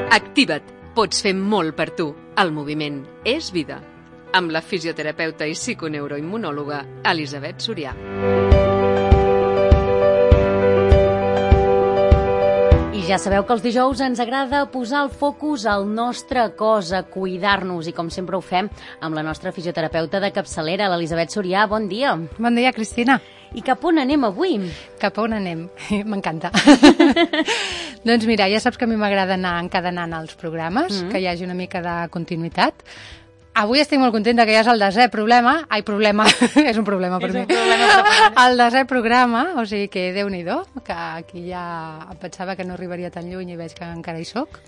Activa't. Pots fer molt per tu. El moviment és vida. Amb la fisioterapeuta i psiconeuroimmunòloga Elisabet Sorià. I ja sabeu que els dijous ens agrada posar el focus al nostre cos, a cuidar-nos, i com sempre ho fem amb la nostra fisioterapeuta de capçalera, l'Elisabet Sorià. Bon dia. Bon dia, Cristina. I cap on anem avui? Cap on anem? M'encanta. Doncs mira, ja saps que a mi m'agrada anar encadenant els programes, que hi hagi una mica de continuïtat. Avui estic molt contenta que ja és el desè problema. Ai, problema, és un problema per mi. El desè programa, o sigui que Déu-n'hi-do, que aquí ja em pensava que no arribaria tan lluny i veig que encara hi soc.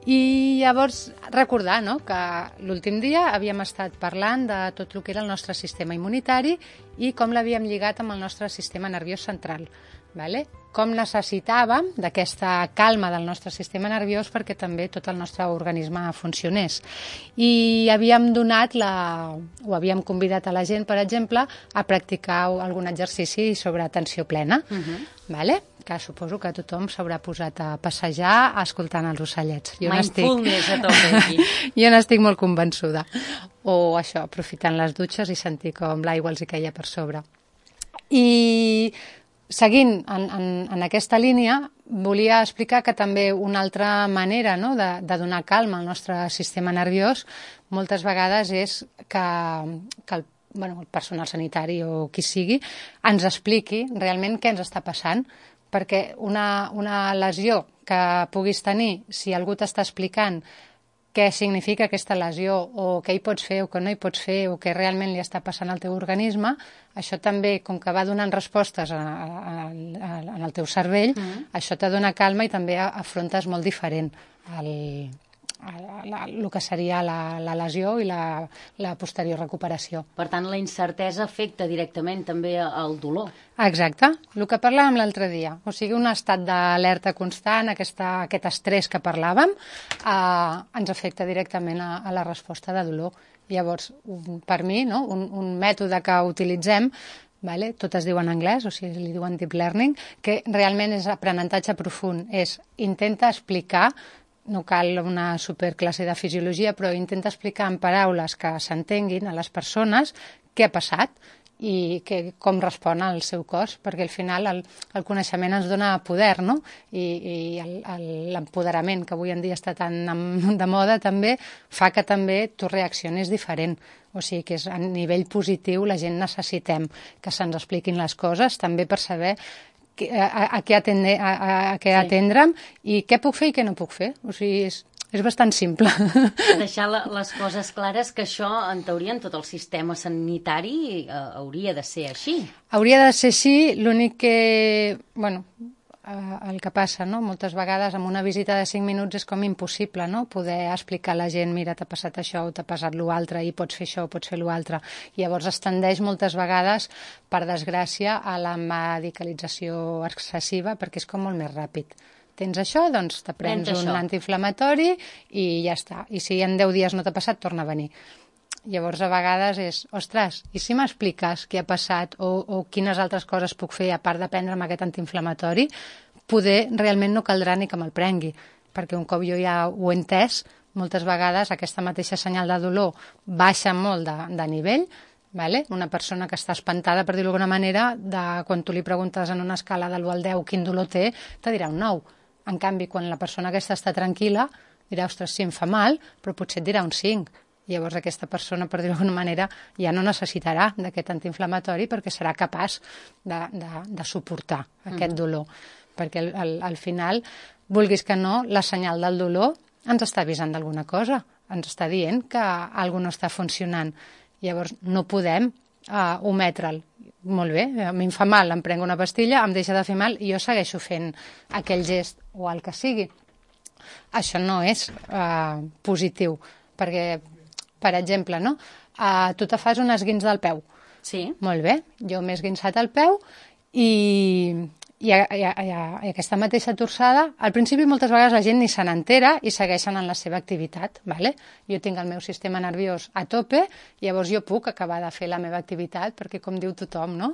I llavors recordar, no?, que l'últim dia havíem estat parlant de tot el que era el nostre sistema immunitari i com l'havíem lligat amb el nostre sistema nerviós central. Vale? Com necessitàvem d'aquesta calma del nostre sistema nerviós perquè també tot el nostre organisme funcionés. I havíem havíem convidat a la gent, per exemple, a practicar algun exercici sobre atenció plena, vale? Que suposo que tothom s'haurà posat a passejar escoltant els ocellets. Mindfulness a tope aquí. Jo n'estic molt convençuda. O això, aprofitant les dutxes i sentir com l'aigua els hi queia per sobre. I seguint en aquesta línia, volia explicar que també una altra manera, no?, de donar calma al nostre sistema nerviós moltes vegades és que el personal sanitari o qui sigui ens expliqui realment què ens està passant, perquè una lesió que puguis tenir, si algú t'està explicant què significa aquesta lesió o què hi pots fer o què no hi pots fer o què realment li està passant al teu organisme, això també, com que va donant respostes en el teu cervell, això te dona calma i també afrontes molt diferent el que seria la lesió i la posterior recuperació. Per tant, la incertesa afecta directament també el dolor. Exacte, el que parlàvem l'altre dia. O sigui, un estat d'alerta constant, aquest estrès que parlàvem, ens afecta directament a la resposta de dolor. Llavors, per mi, no?, un mètode que utilitzem, vale? Tot es diu en anglès, o sigui, li diuen deep learning, que realment és aprenentatge profund, intenta explicar, no cal una superclasse de fisiologia, però intenta explicar en paraules que s'entenguin a les persones què ha passat i com respon al seu cos, perquè al final el coneixement ens dona poder, no? I l'empoderament, que avui en dia està tan de moda també, fa que també tu reaccionis diferent. O sigui que a nivell positiu la gent necessitem que se'ns expliquin les coses, també per saber a què atendre'm i què puc fer i què no puc fer. O sigui, és bastant simple. Deixar les coses clares, que això, en teoria, en tot el sistema sanitari hauria de ser així. Hauria de ser així, l'únic que, el que passa, no?, moltes vegades amb una visita de 5 minuts és com impossible, no?, poder explicar a la gent, mira, t'ha passat això o t'ha passat l'altre i pots fer això o pots fer l'altre. Llavors es tendeix moltes vegades, per desgràcia, a la medicalització excessiva perquè és com molt més ràpid. Tens això, doncs te prens un antiinflamatori i ja està. I si en 10 dies no t'ha passat, torna a venir. Llavors, a vegades és, ostres, i si m'expliques què ha passat o quines altres coses puc fer a part de prendre'm aquest antiinflamatori, poder realment no caldrà ni que me'l prengui, perquè un cop jo ja ho he entès, moltes vegades aquesta mateixa senyal de dolor baixa molt de nivell, vale? Una persona que està espantada, per dir-ho d'alguna manera, quan tu li preguntes en una escala de l'1 al 10 quin dolor té, te dirà un 9. En canvi, quan la persona aquesta està tranquil·la, dirà, ostres, sí, em fa mal, però potser et dirà un 5. Llavors aquesta persona, per dir-ho d'alguna manera, ja no necessitarà d'aquest antiinflamatori perquè serà capaç de suportar aquest dolor. Perquè al final, vulguis que no, la senyal del dolor ens està avisant d'alguna cosa, ens està dient que alguna cosa no està funcionant. Llavors no podem ometre'l. Molt bé, a mi em fa mal, em prenc una pastilla, em deixa de fer mal i jo segueixo fent aquell gest o el que sigui. Això no és positiu, perquè, per exemple, no? Tu te fas un esguinç del peu. Sí. Molt bé, jo m'he esguinçat el peu i I aquesta mateixa torçada, al principi moltes vegades la gent ni se n'entera i segueixen en la seva activitat. Vale? Jo tinc el meu sistema nerviós a tope, llavors jo puc acabar de fer la meva activitat, perquè com diu tothom, no?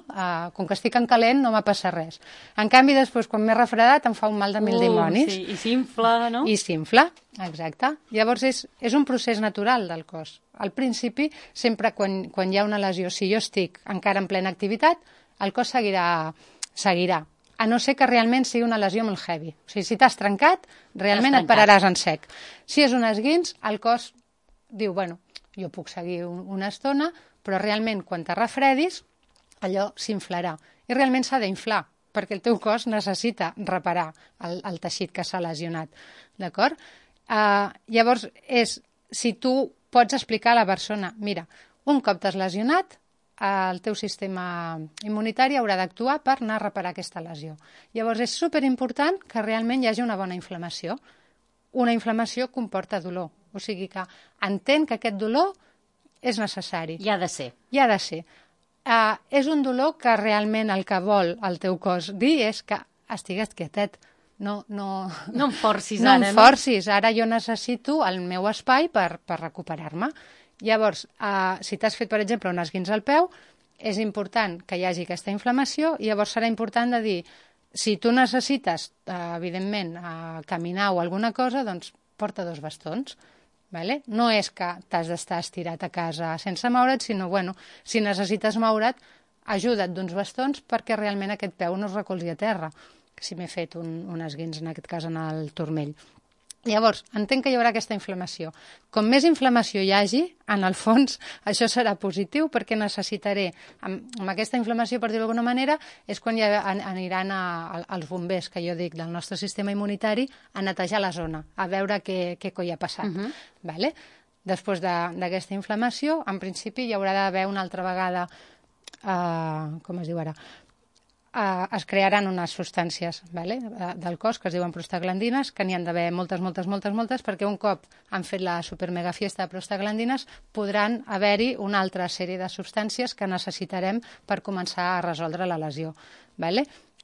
Com que estic en calent no m'ha passat res. En canvi, després, quan m'he refredat, em fa un mal de mil dimonis. Sí, i s'infla, no? I s'infla, exacte. Llavors és un procés natural del cos. Al principi, sempre quan hi ha una lesió, si jo estic encara en plena activitat, el cos seguirà. A no ser que realment sigui una lesió molt heavy. O sigui, si t'has trencat, realment et pararàs en sec. Si és un esguins, el cos diu, bueno, jo puc seguir una estona, però realment quan te refredis, allò s'inflarà. I realment s'ha d'inflar, perquè el teu cos necessita reparar el teixit que s'ha lesionat. D'acord? Llavors, si tu pots explicar a la persona, mira, un cop t'has lesionat, el teu sistema immunitari haurà d'actuar per anar a reparar aquesta lesió. Llavors és superimportant que realment hi hagi una bona inflamació. Una inflamació comporta dolor, o sigui que entén que aquest dolor és necessari. Hi ha de ser. Hi ha de ser. És un dolor que realment el que vol el teu cos dir és que estigues quietet. No em forcis no ara. No em forcis, ara jo necessito el meu espai per recuperar-me. Llavors, si t'has fet, per exemple, un esguins al peu, és important que hi hagi aquesta inflamació i llavors serà important de dir, si tu necessites, evidentment, caminar o alguna cosa, doncs porta 2 bastons. Vale? No és que t'has d'estar estirat a casa sense moure't, sinó, bueno, si necessites moure't, ajuda't d'uns bastons perquè realment aquest peu no es recolzi a terra, si m'he fet un esguins, en aquest cas, en el turmell. Llavors, entenc que hi haurà aquesta inflamació. Com més inflamació hi hagi, en el fons, això serà positiu perquè necessitaré, amb aquesta inflamació, per dir-ho d'alguna manera, és quan aniran els bombers, que jo dic, del nostre sistema immunitari, a netejar la zona, a veure què coi ha passat. Vale? Després d'aquesta inflamació, en principi hi haurà d'haver una altra vegada, com es diu ara, es crearan unes substàncies del cos que es diuen prostaglandines, que n'hi han d'haver moltes, perquè un cop han fet la supermega fiesta de prostaglandines podran haver-hi una altra sèrie de substàncies que necessitarem per començar a resoldre la lesió.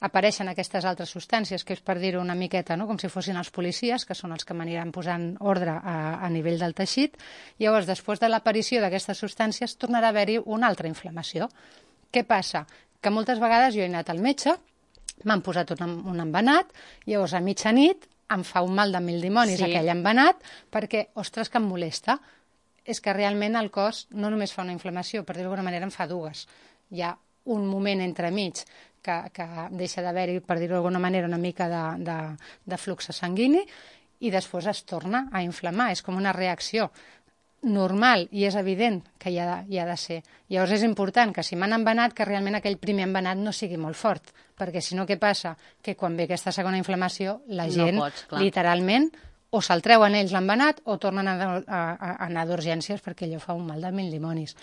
Apareixen aquestes altres substàncies, que és per dir-ho una miqueta, no? Com si fossin els policies, que són els que m'aniran posant ordre a nivell del teixit. Llavors, després de l'aparició d'aquestes substàncies, tornarà a haver-hi una altra inflamació. Què passa? Que moltes vegades jo he anat al metge, m'han posat un embenat, llavors a mitjanit em fa un mal de mil dimonis aquell embenat, perquè, ostres, que em molesta. És que realment el cos no només fa una inflamació, per dir-ho d'alguna manera en fa 2. Hi ha un moment entremig que deixa d'haver-hi, per dir-ho d'alguna manera, una mica de flux sanguini i després es torna a inflamar. És com una reacció normal i és evident que hi ha de ser. Llavors és important que si m'han embenat, que realment aquell primer embenat no sigui molt fort, perquè si no, què passa? Que quan ve aquesta segona inflamació, la gent literalment o se'l treuen ells l'embenat o tornen a anar d'urgències perquè allò fa un mal de mil dimonis.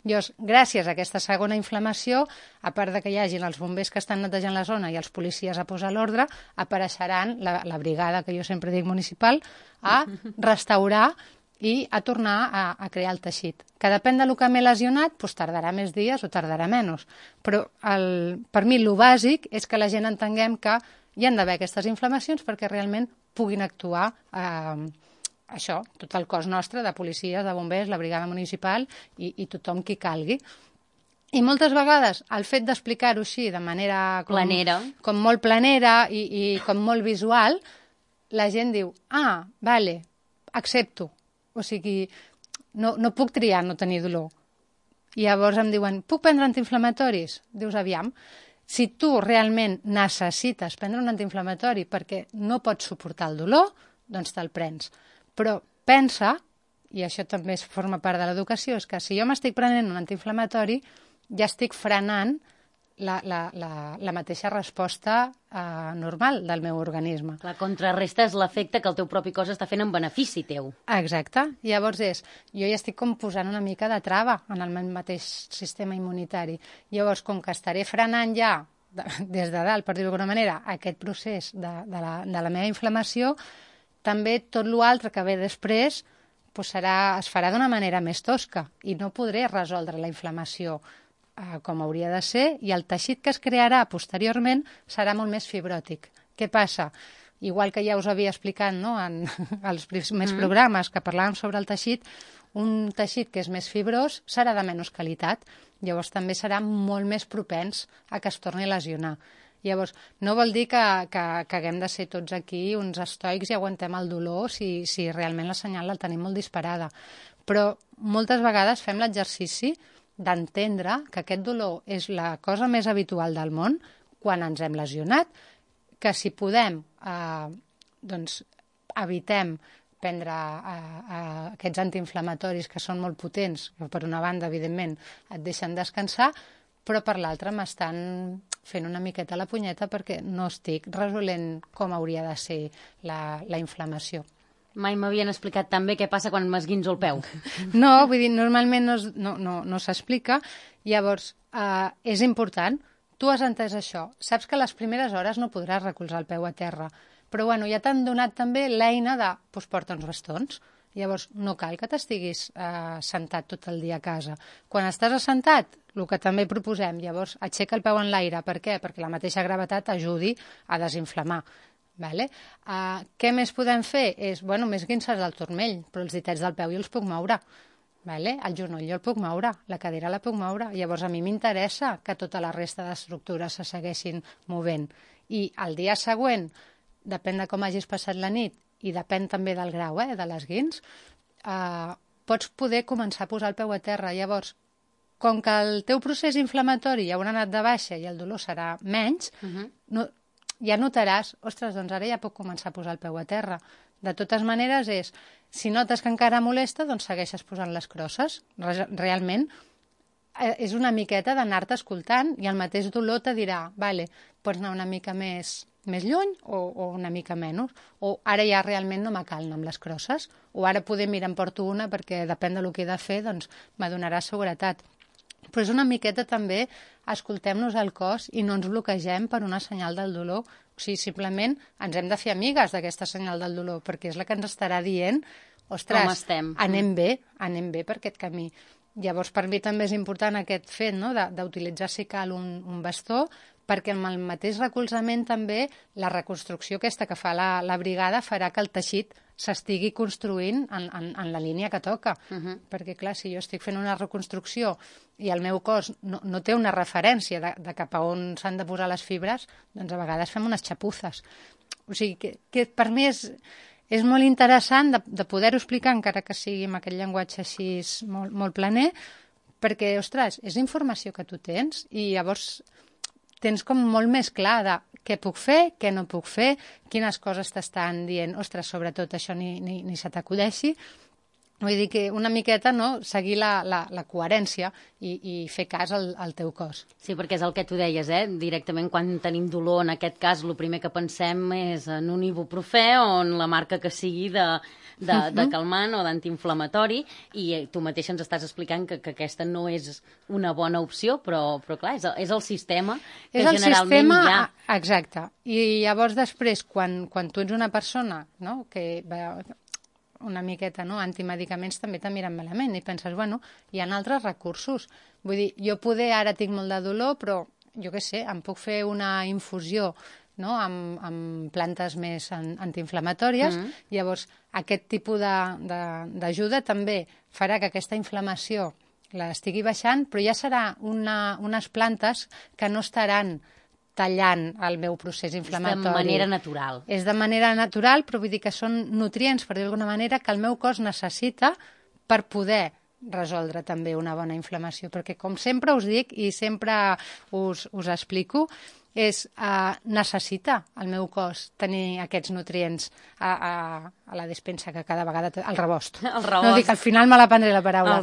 Llavors, gràcies a aquesta segona inflamació, a part de que hi hagin els bombers que estan netejant la zona i els policies a posar l'ordre, apareixeran la brigada, que jo sempre dic municipal, a restaurar i a tornar a crear el teixit. Que depèn del que m'he lesionat, doncs tardarà més dies o tardarà menys. Però per mi el bàsic és que la gent entenguem que hi han d'haver aquestes inflamacions perquè realment puguin actuar això, tot el cos nostre, de policies, de bombers, la brigada municipal i tothom qui calgui. I moltes vegades el fet d'explicar-ho així de manera com molt planera i com molt visual, la gent diu, vale, accepto. O sigui, no puc triar no tenir dolor. I llavors em diuen, puc prendre antiinflamatoris? Dius, aviam, si tu realment necessites prendre un antiinflamatori perquè no pots suportar el dolor, doncs te'l prens. Però pensa, i això també forma part de l'educació, és que si jo m'estic prenent un antiinflamatori, ja estic frenant la mateixa resposta normal del meu organisme. La contrarresta és l'efecte que el teu propi cos està fent en benefici teu. Exacte. Llavors jo ja estic com posant una mica de trava en el meu mateix sistema immunitari. Llavors, com que estaré frenant ja des de dalt, per dir-ho d'alguna manera, aquest procés de la meva inflamació, també tot l'altre que ve després es farà d'una manera més tosca i no podré resoldre la inflamació com hauria de ser, i el teixit que es crearà posteriorment serà molt més fibròtic. Què passa? Igual que ja us havia explicat, no, en els primers programes que parlàvem sobre el teixit, un teixit que és més fibrós serà de menys qualitat, llavors també serà molt més propens a que es torni a lesionar. Llavors, no vol dir que haguem de ser tots aquí uns estoics i aguantem el dolor si realment la senyal la tenim molt disparada. Però moltes vegades fem l'exercici d'entendre que aquest dolor és la cosa més habitual del món quan ens hem lesionat, que si podem, doncs evitem prendre aquests antiinflamatoris que són molt potents, que per una banda, evidentment, et deixen descansar, però per l'altra m'estan fent una miqueta la punyeta perquè no estic resolent com hauria de ser la inflamació. Mai m'havien explicat tan bé què passa quan m'esguinzo el peu. No, vull dir, normalment no s'explica. Llavors, és important. Tu has entès això. Saps que a les primeres hores no podràs recolzar el peu a terra. Però bueno, ja t'han donat també l'eina de porta uns bastons. Llavors, no cal que t'estiguis sentat tot el dia a casa. Quan estàs assentat, el que també proposem, llavors aixeca el peu en l'aire. Per què? Perquè la mateixa gravetat ajudi a desinflamar. Vale? Què més podem fer? Més guinces del turmell, però els ditets del peu jo els puc moure. Vale? El genoll jo el puc moure, la cadera la puc moure. Llavors a mi m'interessa que tota la resta d'estructures se segueixin movent. I el dia següent, depèn de com hagis passat la nit i depèn també del grau de l'esguins, pots poder començar a posar el peu a terra. Llavors, com que el teu procés inflamatori ja haurà anat de baixa i el dolor serà menys, ja notaràs, ostres, doncs ara ja puc començar a posar el peu a terra. De totes maneres si notes que encara molesta, doncs segueixes posant les crosses. Realment és una miqueta d'anar-te escoltant i el mateix dolor te dirà, vale, pots anar una mica més lluny o una mica menys, o ara ja realment no me cal anar amb les crosses, o ara poder em porto una perquè depèn del que he de fer, doncs me donarà seguretat. Però és una miqueta també escoltem-nos el cos i no ens bloquegem per una senyal del dolor. O sigui, simplement ens hem de fer amigues d'aquesta senyal del dolor, perquè és la que ens estarà dient, ostres, anem bé per aquest camí. Llavors, per mi també és important aquest fet, no?, d'utilitzar, si cal, un bastó, perquè amb el mateix recolzament també la reconstrucció aquesta que fa la brigada farà que el teixit s'estigui construint en la línia que toca. Perquè, clar, si jo estic fent una reconstrucció i el meu cos no té una referència de cap a on s'han de posar les fibres, doncs a vegades fem unes xapuzes. O sigui, que per mi és molt interessant de poder-ho explicar, encara que sigui amb aquest llenguatge així molt, molt planer, perquè, ostres, és informació que tu tens i llavors tens com molt més clar de què puc fer, què no puc fer, quines coses t'estan dient, ostres, sobretot això ni se t'acudeixi. Vull dir que una miqueta, no?, seguir la coherència i fer cas al teu cos. Sí, perquè és el que tu deies, directament quan tenim dolor, en aquest cas, el primer que pensem és en un ibuprofè o en la marca que sigui de calmant o d'antiinflamatori, i tu mateix ens estàs explicant que aquesta no és una bona opció, però clar, és el sistema que generalment hi ha. Exacte. I llavors després, quan tu ets una persona, no?, que una miqueta, no?, antimedicaments també te miren malament i penses, bueno, hi ha altres recursos. Vull dir, jo ara tinc molt de dolor, però jo què sé, em puc fer una infusió, no?, amb plantes més antiinflamatòries. Llavors, aquest tipus d'ajuda també farà que aquesta inflamació l'estigui baixant, però ja serà unes plantes que no estaran tallant el meu procés inflamatori. És de manera natural. És de manera natural, però vull dir que són nutrients, per dir d'alguna manera, que el meu cos necessita per poder resoldre també una bona inflamació. Perquè, com sempre us dic i sempre us explico, necessita el meu cos tenir aquests nutrients a la despensa que cada vegada té, al rebost. No dic, al final me la prendré la paraula.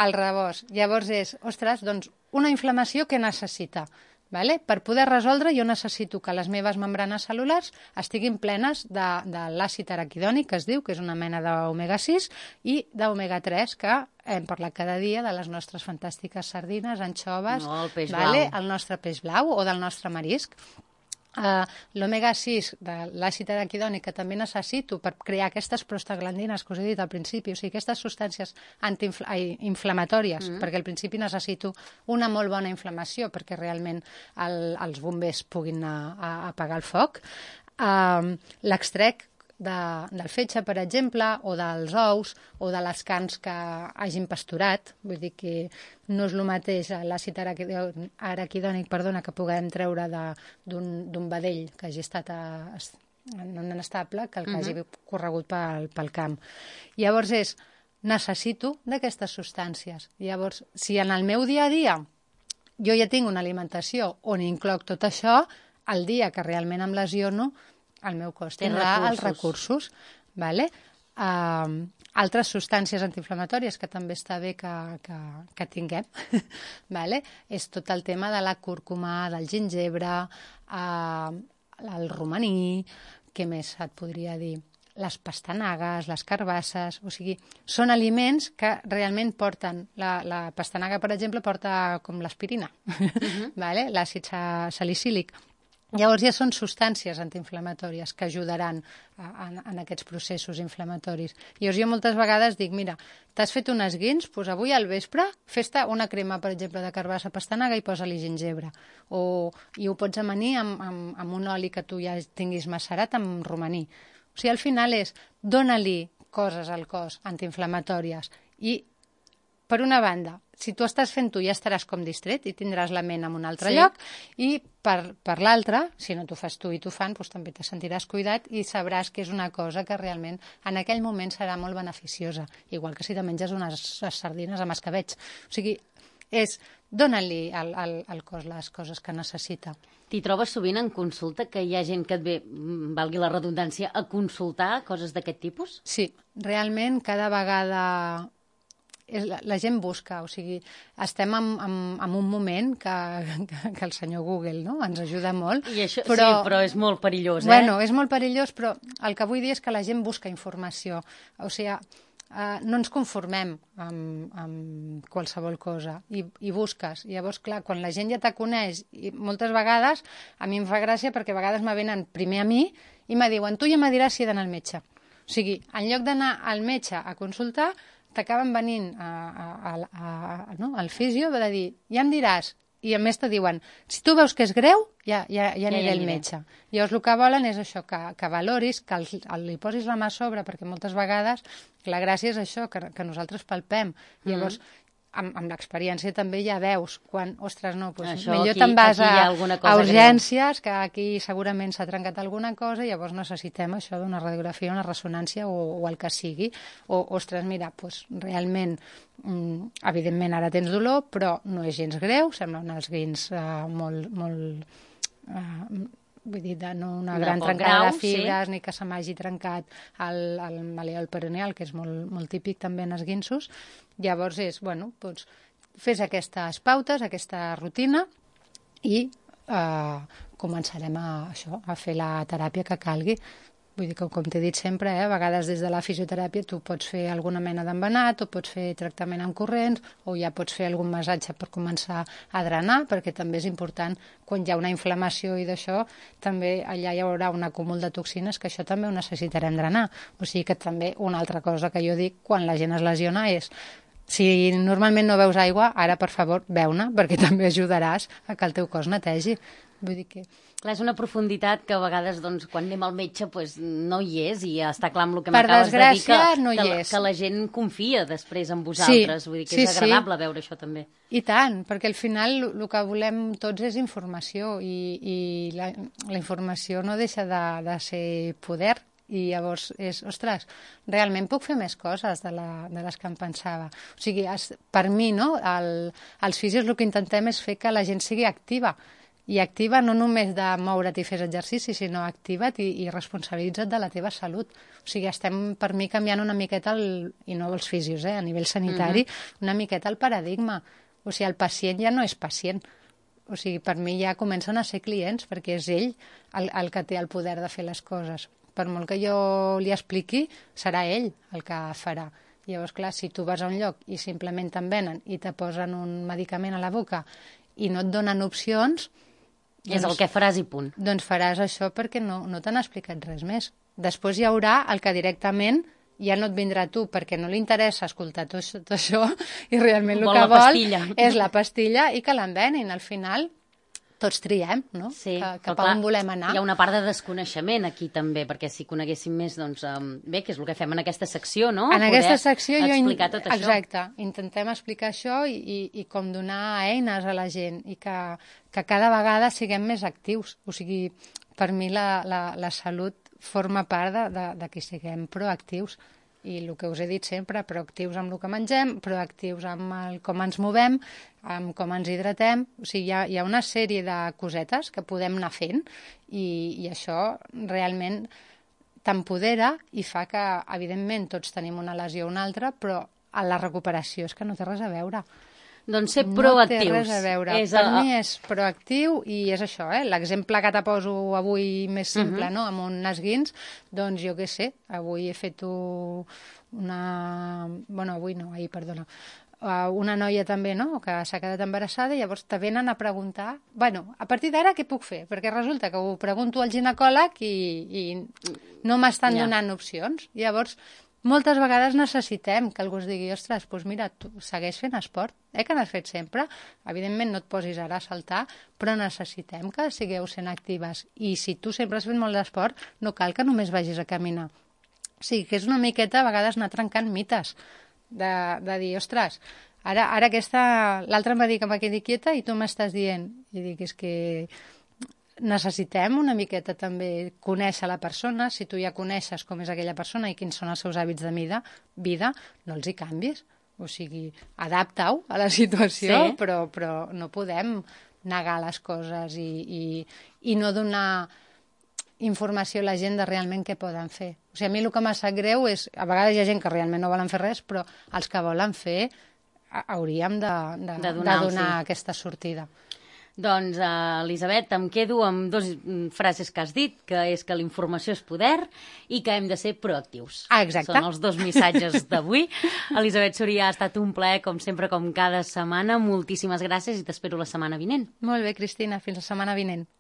El rebost. Llavors ostres, doncs, una inflamació que necessita. Vale? Per poder resoldre jo necessito que les meves membranes cel·lulars estiguin plenes de l'àcid araquidònic, que es diu, que és una mena d'omega 6, i d'omega 3, que hem parlat cada dia de les nostres fantàstiques sardines, anxoves, el peix blau, el nostre peix blau o del nostre marisc. l'omega 6 de l'àcid araquidònic que també necessito per crear aquestes prostaglandines que us he dit al principi, o sigui, aquestes substàncies inflamatòries, perquè al principi necessito una molt bona inflamació perquè realment els bombers puguin anar a apagar el foc. L'extrec del fetge, per exemple, o dels ous, o de les carns que hagin pasturat. Vull dir que no és el mateix l'àcid araquidònic que puguem treure d'un vedell que hagi estat en un estable que el que hagi corregut pel camp. Llavors necessito d'aquestes substàncies. Llavors, si en el meu dia a dia jo ja tinc una alimentació on incloc tot això, el dia que realment em lesiono, el meu cos tindrà els recursos. Vale? Altres substàncies antiinflamatòries que també està bé que tinguem, vale? És tot el tema de la cúrcuma, del gingebre, el romaní, què més et podria dir? Les pastanagues, les carbasses, o sigui, són aliments que realment porten, la pastanaga, per exemple, porta com l'aspirina, vale? L'àcid salicílic. Llavors ja són substàncies antiinflamatòries que ajudaran en aquests processos inflamatoris. Llavors jo moltes vegades dic, mira, t'has fet un esguins, doncs avui al vespre fes-te una crema, per exemple, de carbassa pastanaga i posa-li gingebre. I ho pots amanir amb un oli que tu ja tinguis macerat amb romaní. O sigui, al final dona-li coses al cos antiinflamatòries i, per una banda, si tu estàs fent tu ja estaràs com distret i tindràs la ment en un altre lloc, i per l'altra, si no t'ho fas tu i t'ho fan, doncs també te sentiràs cuidat i sabràs que és una cosa que realment en aquell moment serà molt beneficiosa, igual que si te menges unes sardines amb escabetx. O sigui, dona-li al cos les coses que necessita. T'hi trobes sovint en consulta que hi ha gent que et ve, valgui la redundància, a consultar coses d'aquest tipus? Sí, realment cada vegada la gent busca, o sigui, estem en un moment que el senyor Google, no?, ens ajuda molt. I això, sí, però és molt perillós, Bueno, és molt perillós, però el que vull dir és que la gent busca informació. O sigui, no ens conformem amb qualsevol cosa i busques. Llavors, clar, quan la gent ja te coneix, i moltes vegades, a mi em fa gràcia perquè a vegades me venen primer a mi i me diuen, tu ja me diràs si he d'anar al metge. O sigui, en lloc d'anar al metge a consultar, t'acaben venint al fisio de dir, ja em diràs, i a més te diuen, si tu veus que és greu, ja aniré al metge. Llavors el que volen és això, que valoris, que li posis la mà a sobre, perquè moltes vegades la gràcia és això, que nosaltres palpem. Llavors, amb l'experiència també ja veus quan, ostres, no, doncs millor te'n vas a urgències, que aquí segurament s'ha trencat alguna cosa, i llavors necessitem això d'una radiografia, una ressonància o el que sigui, o, ostres, mira, doncs realment, evidentment ara tens dolor, però no és gens greu, semblen els guins molt vull dir, no una gran trencada de fibres, ni que se m'hagi trencat el malleol peroneal, que és molt típic també en esguinços. Llavors doncs, fes aquestes pautes, aquesta rutina, i començarem a fer la teràpia que calgui. Vull dir que, com t'he dit sempre, a vegades des de la fisioteràpia tu pots fer alguna mena d'embenat, o pots fer tractament amb corrents, o ja pots fer algun massatge per començar a drenar, perquè també és important, quan hi ha una inflamació i d'això, també allà hi haurà un acúmul de toxines, que això també ho necessitarem drenar. O sigui que també una altra cosa que jo dic quan la gent es lesiona és, si normalment no beus aigua, ara, per favor, beu-ne, perquè també ajudaràs a que el teu cos netegi. Vull dir que... Clar, és una profunditat que a vegades, doncs, quan anem al metge, doncs, no hi és, i està clar amb el que m'acabes de dir, que la gent confia després en vosaltres. Vull dir que és agradable veure això també. I tant, perquè al final el que volem tots és informació, i la informació no deixa de ser poder. I llavors és, ostres, realment puc fer més coses de les que em pensava. O sigui, per mi, no, els fisios el que intentem és fer que la gent sigui activa, i activa no només de moure't i fes exercici, sinó activa't i responsabilitza't de la teva salut. O sigui, estem per mi canviant una miqueta, i no els fisios, a nivell sanitari, una miqueta el paradigma. O sigui, el pacient ja no és pacient. O sigui, per mi ja comencen a ser clients, perquè és ell el que té el poder de fer les coses. Per molt que jo li expliqui, serà ell el que farà. Llavors, clar, si tu vas a un lloc i simplement te'n venen i te posen un medicament a la boca i no et donen opcions, És el que faràs i punt. Doncs faràs això perquè no t'han explicat res més. Després hi haurà el que directament ja no et vindrà a tu perquè no li interessa escoltar tot això i realment el que vol és la pastilla i que l'envenin. Al final tots triem, no? Sí, cap a on volem anar. Hi ha una part de desconeixement aquí també, perquè si coneguéssim més, doncs, bé, que és el que fem en aquesta secció, no? En aquesta secció explicar tot això. Exacte, intentem explicar això i com donar eines a la gent i que cada vegada siguem més actius. O sigui, per mi la salut forma part de que siguem proactius. I el que us he dit sempre, proactius amb el que mengem, proactius amb com ens movem, amb com ens hidratem. O sigui, hi ha una sèrie de cosetes que podem anar fent i això realment t'empodera i fa que, evidentment, tots tenim una lesió o una altra, però a la recuperació és que no té res a veure. Doncs ser proactius. No té res a veure. Per mi és proactiu i és això, l'exemple que te poso avui més simple, no? Amb un esguins, doncs jo què sé, avui he fet una... Bueno, avui no, ahir, perdona. Una noia també, no?, que s'ha quedat embarassada i llavors te venen a preguntar, bueno, a partir d'ara què puc fer? Perquè resulta que ho pregunto al ginecòleg i no m'estan donant opcions. Llavors, moltes vegades necessitem que algú es digui, ostres, doncs mira, tu segueix fent esport, que n'has fet sempre. Evidentment no et posis ara a saltar, però necessitem que sigueu sent actives. I si tu sempre has fet molt d'esport, no cal que només vagis a caminar. O sigui, que és una miqueta a vegades anar trencant mites, de dir, ostres, ara l'altre em va dir que m'ha quedat quieta i tu m'estàs dient. I dic, és que necessitem una miqueta també conèixer la persona. Si tu ja coneixes com és aquella persona i quins són els seus hàbits de vida, no els hi canvis. O sigui, adapta-ho a la situació, sí. però no podem negar les coses i no donar informació a la gent de realment què poden fer. O sigui, a mi el que m'ha sap greu és, a vegades hi ha gent que realment no volen fer res, però els que volen fer hauríem de donar aquesta sortida. Doncs, Elisabet, em quedo amb dues frases que has dit, que és que la informació és poder i que hem de ser proactius. Exacte. Són els dos missatges d'avui. Elisabet Soria, ha estat un plaer, com sempre, com cada setmana. Moltíssimes gràcies i t'espero la setmana vinent. Molt bé, Cristina, fins la setmana vinent.